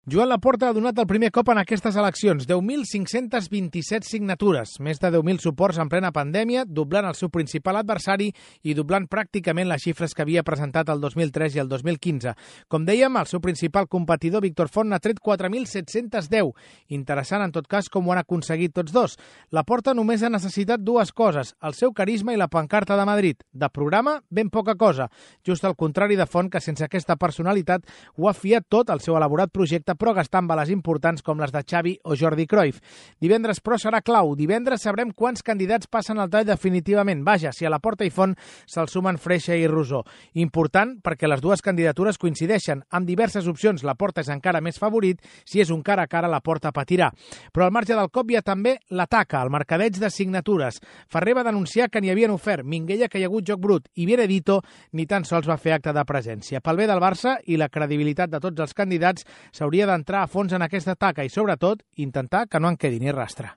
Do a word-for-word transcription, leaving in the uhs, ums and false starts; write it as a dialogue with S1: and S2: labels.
S1: Joan Laporta ha donat el primer cop en aquestes eleccions, deu mil cinc-centes vint-i-set signatures, més de deu mil suports en plena pandèmia, doblant el seu principal adversari i doblant pràcticament les xifres que havia presentat el dos mil tres i el dos mil quinze. Com dèiem, el seu principal competidor, Víctor Font, n'ha tret quatre mil set-cents deu. Interessant, en tot cas, com ho han aconseguit tots dos. Laporta només ha necessitat dues coses, el seu carisma i la pancarta de Madrid. De programa, ben poca cosa. Just al contrari de Font, que sense aquesta personalitat ho ha fiat tot al seu elaborat projecte, però gastant bales importants com les de Xavi o Jordi Cruyff. Divendres, però, serà clau. Divendres sabrem quants candidats passen al tall definitivament. Vaja, si a Laporta i Font se'l sumen Freixa i Rosó. Important perquè les dues candidatures coincideixen. Amb diverses opcions, Laporta és encara més favorit. Si és un cara a cara, Laporta patirà. Però al marge del cop hi ha també l'ataca, el mercadeig de signatures. Ferrer va denunciar que n'hi havien ofert, Minguella que hi ha hagut joc brut i Benedito ni tan sols va fer acte de presència. Pel bé del Barça i la credibilitat de tots els candidats, s'hauria d'entrar a fons en aquesta taca i, sobretot, intentar que no en quedi ni rastre.